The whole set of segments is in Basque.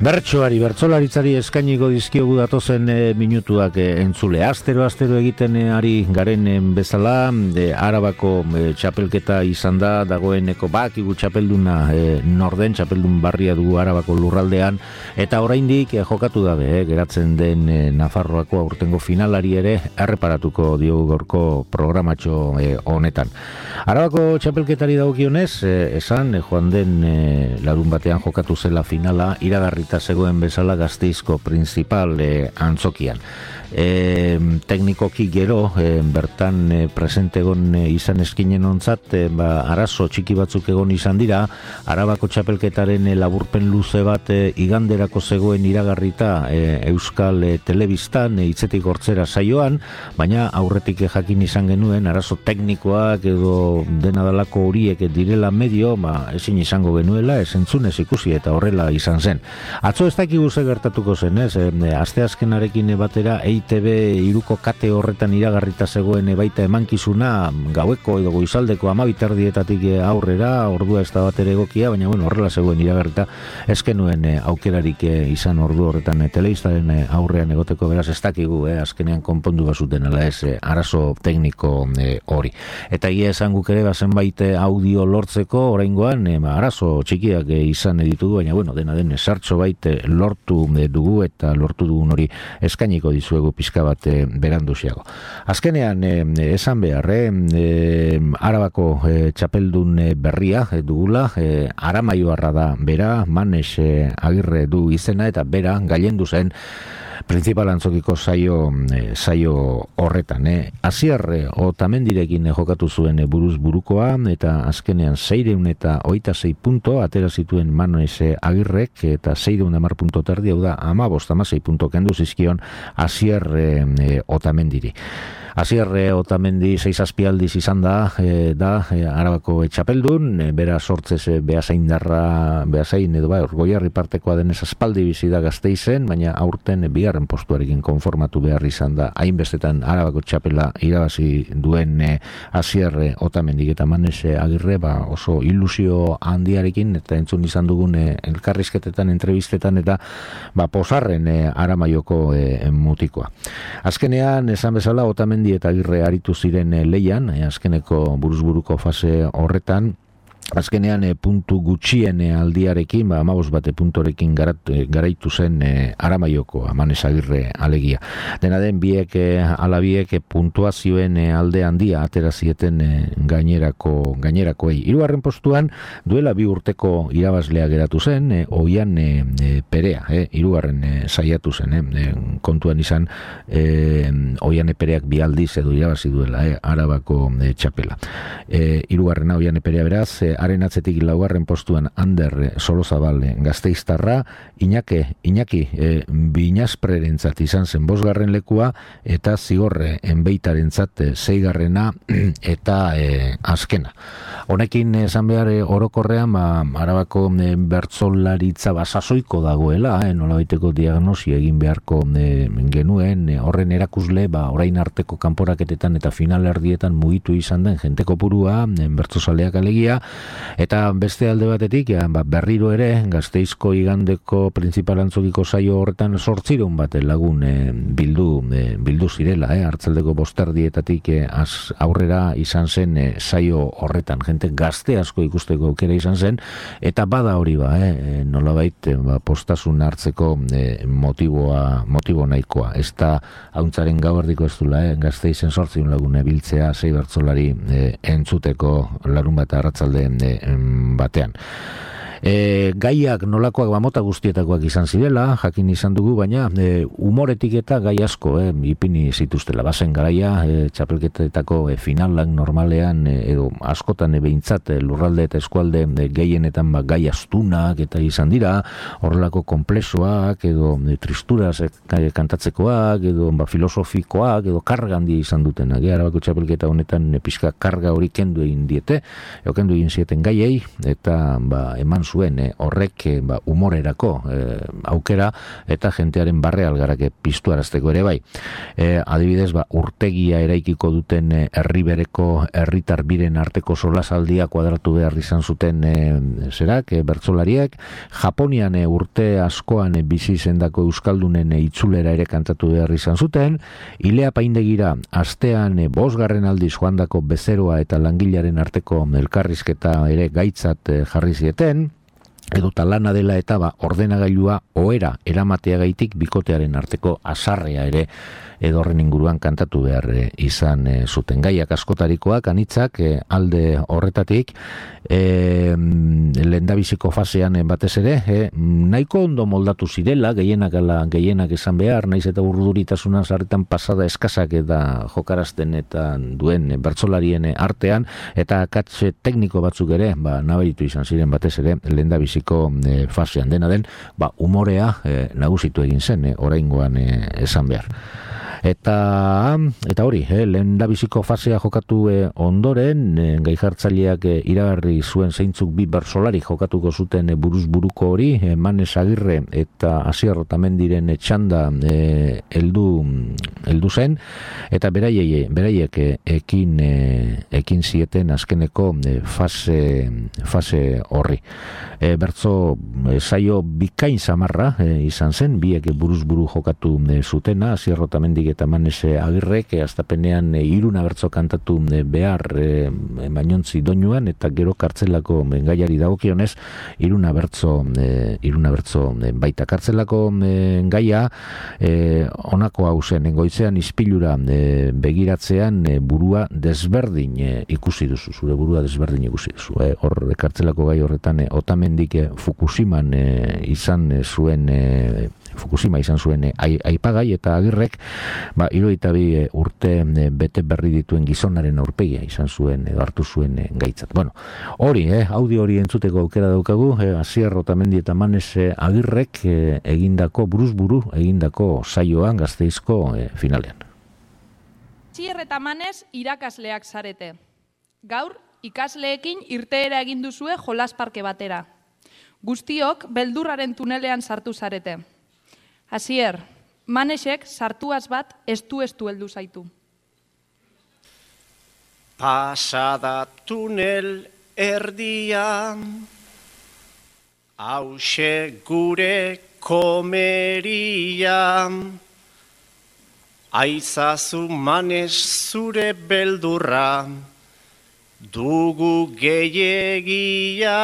Bertsolaritzari eskainiko dizkiogu datozen minutuak entzule. Astero egiten ari garen bezala, Arabako txapelketa izan da, dagoeneko bakigu txapelduna norden, txapeldun barria dugu Arabako lurraldean, eta oraindik jokatu dabe, geratzen den Nafarroako aurtengo finalari ere erreparatuko diogu gaurko programatxo honetan. Arabako txapelketari dagokionez, esan joan den larun batean jokatu zela finala, iragarrita zegoen bezala Gasteizko principal antzokian. Teknikoki gero bertan presente egon izan eskinen ontzat, arazo txiki batzuk egon izan dira. Arabako txapelketaren laburpen luze bat iganderako zegoen iragarrita Euskal Telebistan hitzetik hortzera saioan, baina aurretik jakin izan genuen arazo teknikoak edo dena dalako horiek direla medio, ezin izango genuela, ez entzunez ikusi eta horrela izan zen. Atzo ez dakigu ze gertatuko zen, asteazkenarekin batera EITB iruko kate horretan iragarrita zegoen baita emankizuna gaueko edo goizaldeko 12:00 aurrera, ordua ez da batere egokia, baina horrela zegoen iragarrita, ez genuen aukerarik izan ordu horretan telebistaren aurrean egoteko, beraz ez dakigu, azkenean konpondu bazuten ala ez arazo tekniko hori. Eta egia esan guk ere zenbait audio lortzeko oraingoan arazo txikiak izan ditugu, baina dena den sartxo bait lortu dugu eta lortu dugun hori eskainiko dizuegu pizka bat beranduziago. Azkenean esan behar, Arabako txapeldun berria dugula, Aramaioarra da bera, Manes Agirre du izena eta bera gailendu zen principal antzokiko saio horretan. Asier Otamendirekin jokatu zuen buruz burukoa eta azkenean 626 punto atera zituen Manes Agirrek eta 610 punto terdi, hau da 15-16 punto kendu zizkion Asier Otamendiri. Asier Otamendi 6 azpialdiz izan da Arabako txapeldun, bera sortzez Beasain edo Goierri partekoa denez aspaldi bizi da Gasteizen, baina aurten bigarren postuarekin konformatu behar izan da, hainbestetan Arabako txapela irabazi duen Asier Otamendi eta Manes Agirre oso ilusio handiarekin, eta entzun izan dugun elkarrizketetan, entrevistetan eta posarren Aramaioko mutikoa. Azkenean, esan bezala, Otamendi eta Agirre aritu ziren leian, azkeneko buruzburuko fase horretan. Azkenean puntu gutxien aldiarekin, 15 puntorekin garaitu zen Aramaioko Manes Agirre alegia. Dena den biek alabiek puntuazioen alde handia atera zieten gainerakoei. Hirugarren postuan duela 2 urteko irabazlea geratu zen, Oian Perea, hirugarren saiatu zen, kontuan izan Oian Pereak 2 aldiz edo irabazi duela Arabako txapela. Hirugarrena Oian Perea beraz, haren atzetik 4. postuan Ander Solozabal Gasteiztarra, Iñaki Binazprerentzat izan zen 5. lekua, eta Zigorre Enbeitarentzat 6. eta azkena. Honekin esan behar orokorrean Arabako bertsolaritza sasoiko dagoela, nolabaiteko diagnosia egin beharko genuen, horren erakusle orain arteko kanporaketetan eta finalerdietan mugitu izan den jente kopurua, bertsozaleak alegia. Eta beste alde batetik, berriro ere, Gasteizko igandeko principal antzokiko saio horretan 800 bat lagun bildu zirela, hartzaldeko 5:00 aurrera izan zen saio horretan. Jente gazte asko ikusteko aukera izan zen, eta bada hori nolabait postasun hartzeko motibo nahikoa. Ez da hauntzaren gauerdiko ez dula, Gasteizen 800 lagun biltzea 6 bertsolari entzuteko larun bat arratzalde batean. Gaiak nolakoak mota guztietakoak izan zirela, jakin izan dugu, baina humoretik eta gai asko ipini zituztela. Bazen garaia, txapelketetako finalak normalean edo askotan behintzat lurralde eta eskualde gehienetan gai astunak eta izan dira, horrelako konplexoak edo tristuraz kantatzekoak edo filosofikoak edo karga handi izan duten. Arabako txapelketa honetan pixka karga hori kendu egin diete, kendu egin zieten gaiei, eta eman zuen horrek humorerako aukera eta jentearen barre algarake piztuarazteko ere bai. Adibidez, urtegia eraikiko duten herribereko herritar biren arteko solasaldia kuadratu behar izan zuten bertsolariek, Japonian urte askoan bizi izandako euskaldunen itzulera ere kantatu behar izan zuten, Ilea Paindegira astean 5. aldiz joandako bezeroa eta langilaren arteko elkarrizketa ere gaitzat jarri zieten, edota lana dela eta ordenagailua ohera eramateagaitik bikotearen arteko asarrea ere edorren inguruan kantatu behar izan zuten. Gaiak askotarikoak, anitzak, alde horretatik, lehendabiziko fasean batez ere, nahiko ondo moldatu zirela, gehienak esan behar, naiz eta urduritasuna sarritan pasada eskasak eta jokarazten eta duen bertsolarien artean, eta akats tekniko batzuk ere, nabaritu izan ziren batez ere, lehendabiziko fasean dena den, umorea nagusitu egin zen, oraingoan esan behar. Eta hori, lehendabiziko fasea jokatu ondoren, gai jartzaileak iragarri zuen zeintzuk bi bertsolari jokatuko zuten buruz buruko hori, Manes Agirre eta Asier Otamendiren txanda heldu zen, eta beraiek ekin zieten azkeneko fase horri. Bertso saio bikain samarra izan zen, biek buruz buru jokatu zutena, Asier Otamendik eta Manes Agirrek astapenean 3 bertso kantatu behar mainontzi doinuan, eta gero kartzelako gaiari dagokionez 3 bertso baita. Kartzelako gaia honako hau zen, goizean ispilura begiratzean burua desberdin ikusi duzu, zure burua desberdin ikusi duzu. Hor kartzelako gai horretan Otamendik Fukushima izan zuen aipagai, eta Agirrek 72 urte bete berri dituen gizonaren aurpegia izan zuen edo hartu zuen gaitzat. Bueno, hori, audio hori entzuteko aukera daukagu, Asier Otamendi eta Manes Agirrek egindako, buruz buru egindako saioan Gasteizko finalean. Asier eta Manes irakasleak zarete. Gaur, ikasleekin irteera egin duzue jolas parke batera. Guztiok beldurraren tunelean sartu zarete. Asier, Manesek sartuaz bat estu heldu zaitu. Pasada tunel erdia, hause gure komeria, aizazu Manes zure beldurra, dugu gehiagia,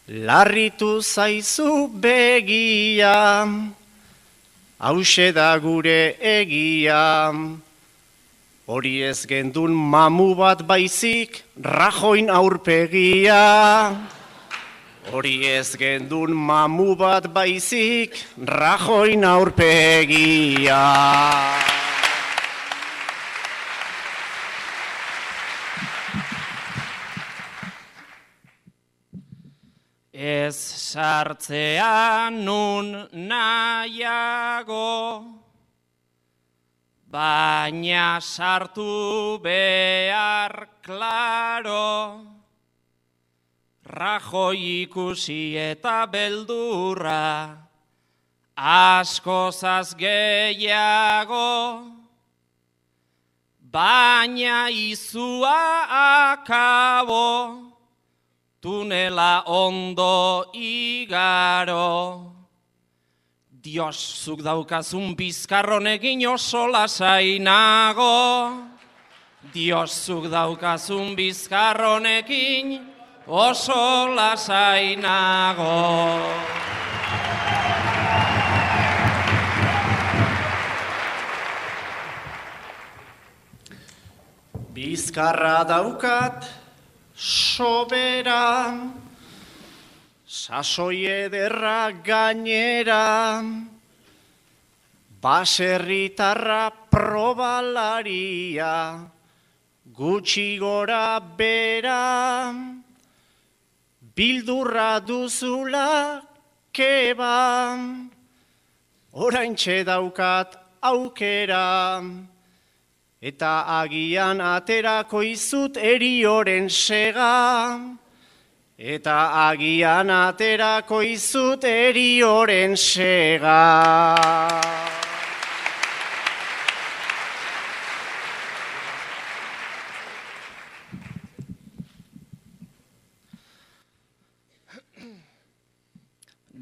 larritu zaizu begia, hause da gure egia, hori ez gendun mamu bat baizik, Rajoin aurpegia. Hori ez gendun mamu bat baizik, Rajoin aurpegia. Ez sartzean nun nahiago, baina sartu behar klaro, Rajoi ikusi eta beldurra, askozaz gehiago, baina izua akabo, tunela ondo igaro. Dios, zuk daukazun bizkarronekin oso lasainago. Dios, zuk daukazun bizkarronekin oso lasainago. Bizkarra daukat sobera, sasoi ederra gainera, baserritarra probalaria, gutxi gora bera, bildurra duzula keba, oraintxe daukat aukera, eta agian aterako izut erioren sega, eta agian aterako izut erioren sega.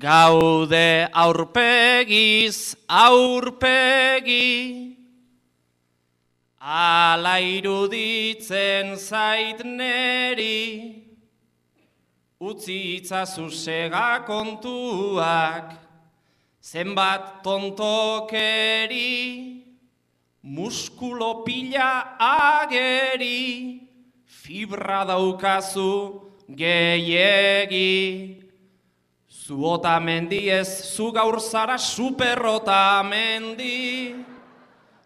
Gaude aurpegiz aurpegi, ala iruditzen zait neri, utzi itzazu sega kontuak, zenbat tontokeri, muskulo pila ageri, fibra daukazu gehiegi. Zu Otamendi ez, zu gaur zara super Otamendi.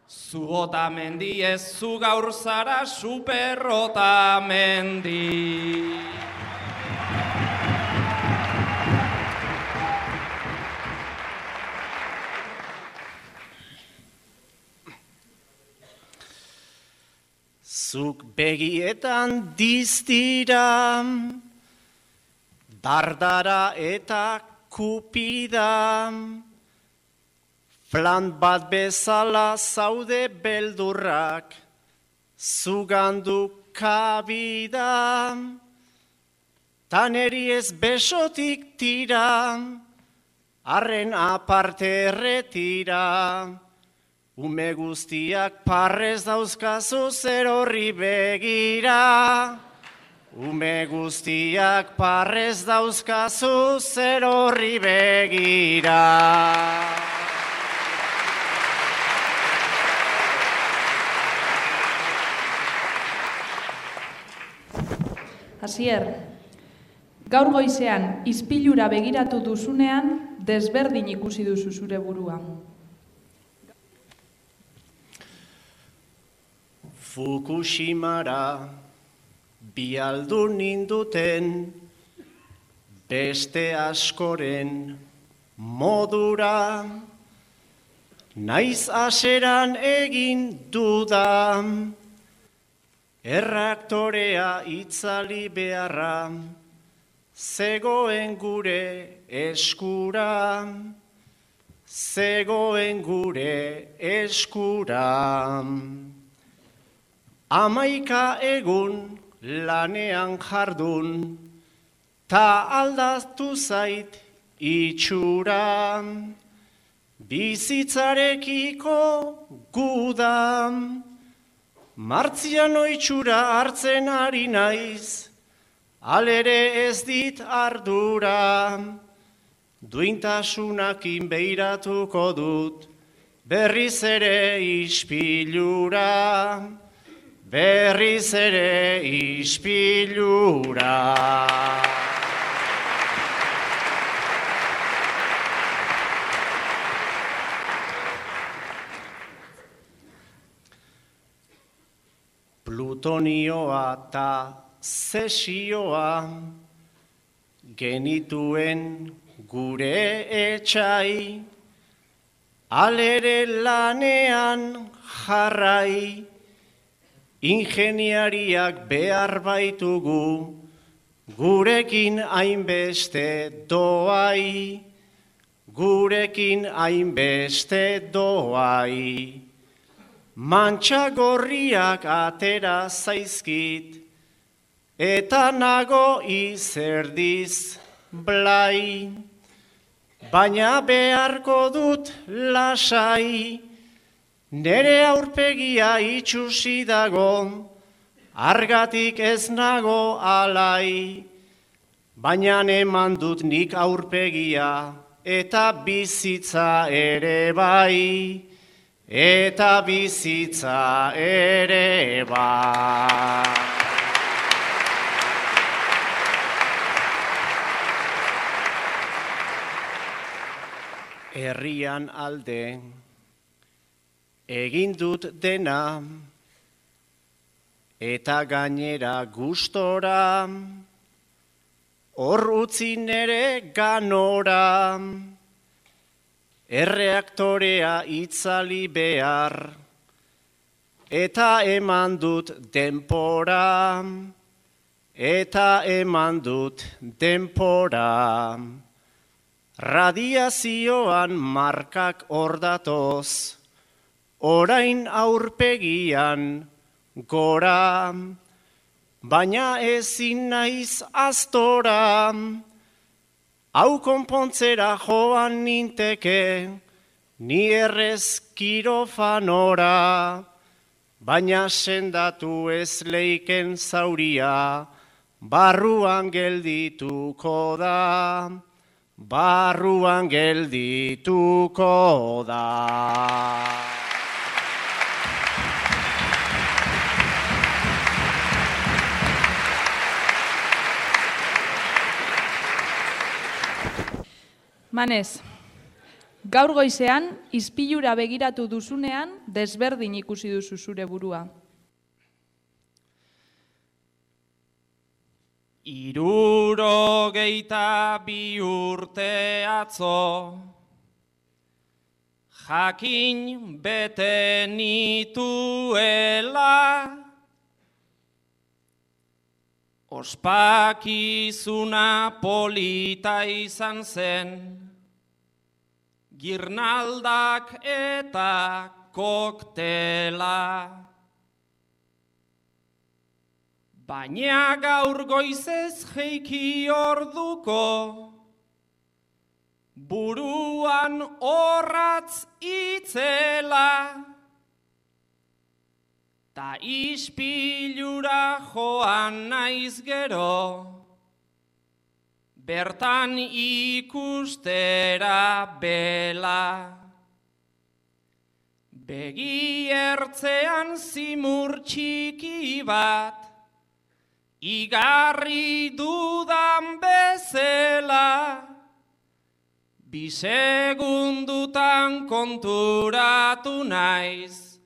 Zu Otamendi ez, zu gaur zara super Otamendi. Zuk begietan diztira, dardara eta kupida, flan bat bezala zaude beldurrak, zugandu kabida, taneri ez besotik tira, arren aparte erretira, ume guztiak parrez dauzkazu zer horri begira. Ume guztiak parrez dauzkazu zer horri begira. Asier, gaur goizean ispilura begiratu duzunean desberdin ikusi duzu zure burua. Fukushimara bialdu ninduten beste askoren modura, naiz aseran egin dudan, erreaktorea itzali beharra, zegoen gure eskura, zegoen gure eskura. 11 egun lanean jardun, ta aldatu zait itxura, bizitzarekiko guda, martziano itxura hartzen ari naiz, alere ez dit ardura, duintasunakin beiratuko dut, berriz ere ispilura, berriz ere ispilura. Plutonioa eta zesioa genituen gure etxai, alere lanean jarrai, ingeniariak behar baitugu, gurekin hainbeste doai, gurekin hainbeste doai. Mantxa gorriak atera zaizkit, eta nago izerdiz blai, baina beharko dut lasai, nere aurpegia itxusi dago, argatik ez nago alai, baina eman dut nik aurpegia, eta bizitza ere bai, eta bizitza ere bai. Herrian alde egin dut dena, eta gainera gustora, hor utzi nere ganora, erreaktorea itzali behar, eta eman dut denpora, eta eman dut denpora. Radiazioan markak ordatoz, orain aurpegian gora, baina ezin naiz astora, hau konpontzera joan ninteke, ni errez kirofanora, baina sendatu ez leiken zauria, barruan geldituko da, barruan geldituko da. Manez, gaur goizean, ispilura begiratu duzunean, desberdin ikusi duzu zure burua. 62 urte atzo, jakin bete nituela, ospakizuna polita izan zen, girnaldak eta koktela. Baina gaur goizez jeiki orduko, buruan orratz itzela, ta ispilura joan naiz gero, bertan ikustera bela. Begi ertzean zimur txiki bat, igarri dudan bezela, 2 segundutan konturatu naiz,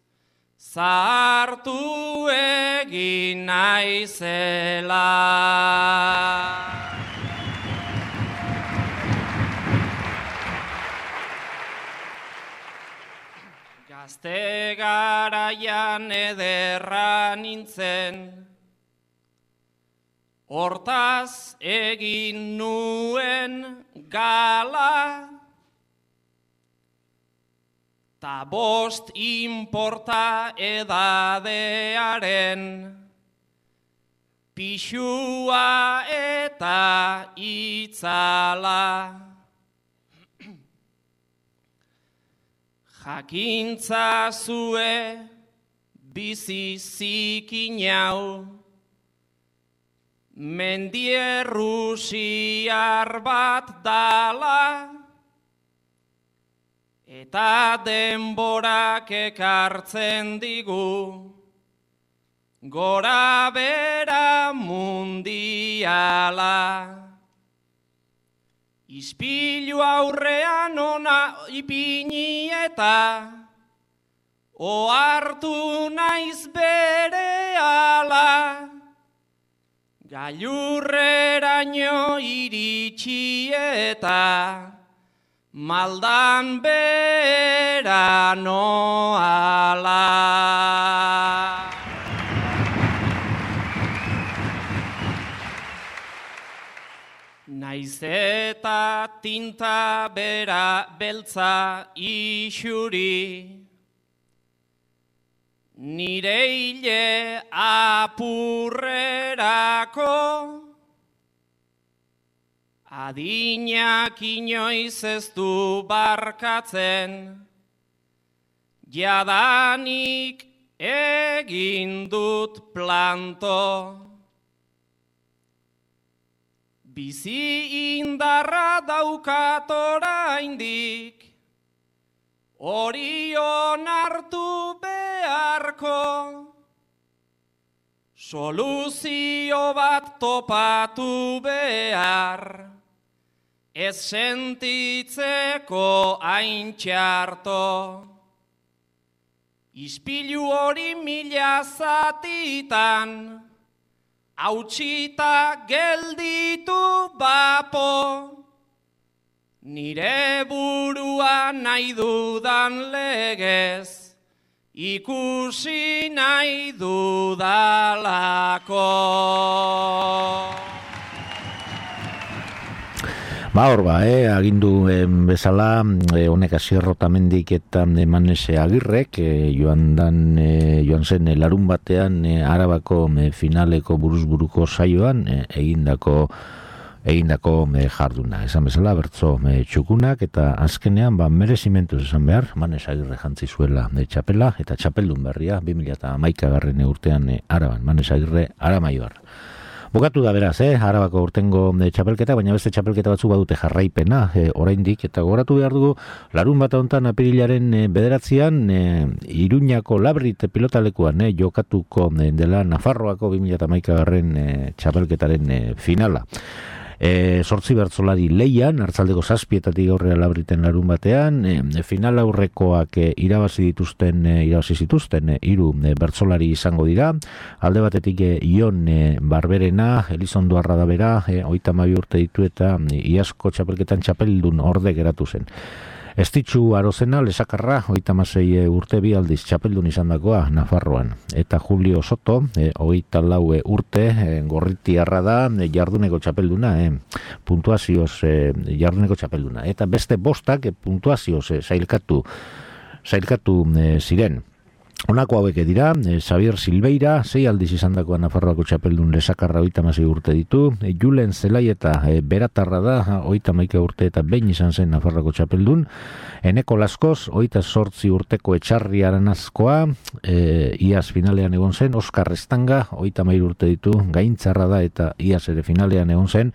zahartu egin naizela. Gazte garaian ederra nintzen, hortaz egin nuen gala, ta 5 inporta edadearen, pixua eta itzala. Jakintza zue bizi zikin hau, mendierrusiar bat dala, eta denborak ekartzen digu, gora bera mundiala. Ispilu aurrean ona ipini eta, ohartu naiz berehala, gailurreraino iritsi eta, maldan bera noala. Naiz eta tinta bera beltza isuri, nire hile apurrerako, adinak inoiz ez du barkatzen, jadanik egin dut planto. Bizi indarra daukat oraindik, hori onartu beharko, soluzio bat topatu behar, ez sentitzeko hain txarto. Ispilu hori 1000 zatitan, hautsita gelditu bapo, nire burua nahi dudan legez, ikusi nahi dudalako. Hor agindu bezala, honek Asier Otamendik eta Manese Agirrek, joan zen larun batean Arabako finaleko buruz-buruko saioan egindako jarduna. Esan bezala, bertso txukunak eta azkenean merezimentuz esan behar, Manese Agirre jantzi zuela txapela eta txapeldun berria 2011 urtean Araban, Manese Agirre Aramaioar. Bukatu da beraz, Arabako urtengo txapelketa, baina beste txapelketa batzu badute jarraipena, oraindik, eta gogoratu behar dugu, larun bat hontan apirilaren 9an, Iruñako Labrit pilotalekuan jokatuko dela Nafarroako 2011 txapelketaren finala. 8 bertsolari leian, artzaldeko 7 aurrera Labriten larun batean, final aurrekoak irabazi zituzten 3 bertsolari izango dira, alde batetik Ion Barberena, Elizondo Arradabera, 32 urte ditu eta iazko txapelketan txapeldun orde geratu zen. Estitxu Arozena, Lesakarra, 36 urte bi aldiz txapeldun izandakoa Nafarroan. Eta Julio Soto, 24 urte, Gorritiarra da, jarduneko txapelduna, puntuazioz jarduneko txapelduna. Eta beste bostak puntuazioz sailkatu ziren. Honako hauek dira, Xavier Silveira, 6 aldiz izandakoa Nafarroako txapeldun Lesakarra 36 urte ditu, Julen Zelaieta Beratarra da, 31 urte eta behin izan zen Nafarroako txapeldun, Eneko Laskoz, 28 urteko Etxarri Aranazkoa, iaz finalean egon zen, Oskar Estanga, 33 urte ditu, Gaintzarra da eta iaz ere finalean egon zen,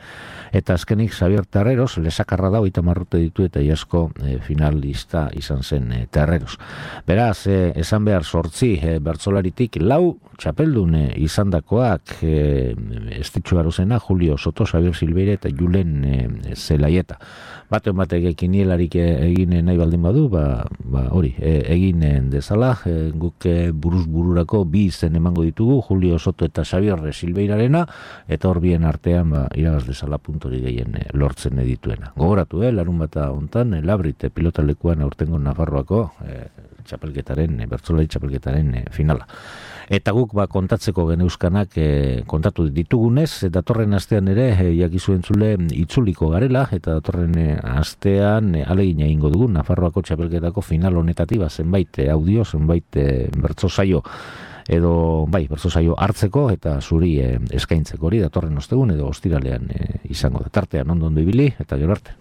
eta azkenik Xavier Terreros, Lesakarra da, 30 urte ditu eta iazko finalista izan zen Terreros. Beraz, esan behar 8 bertsolaritik 4 txapeldun izandakoak, Estitxu Arozena, Julio Soto, Xavier Silveira eta Julen Zelaieta. Batek kinielarik egin nahi baldin badu, hori, egin dezala, guk buruz-bururako 2 izen emango ditugu, Julio Soto eta Xavier Silveirarena, eta hor bien artean iragaz dezala puntori gehien lortzen dituena. Gogoratu, larun bata hontan, Labrit pilotalekuan aurtengo Nafarroako bertsolari txapelketaren finala. Eta guk kontatzeko geneuzkanak kontatu ditugunez, datorren astean ere jakizuen zule itzuliko garela, eta datorren astean alegin egingo dugu Nafarroako txapelketako final honetatik zenbait audio, zenbait bertso saio hartzeko eta zuri eskaintzeko hori datorren ostegun edo ostiralean izango da. Tartean ondo ibili eta gero arte.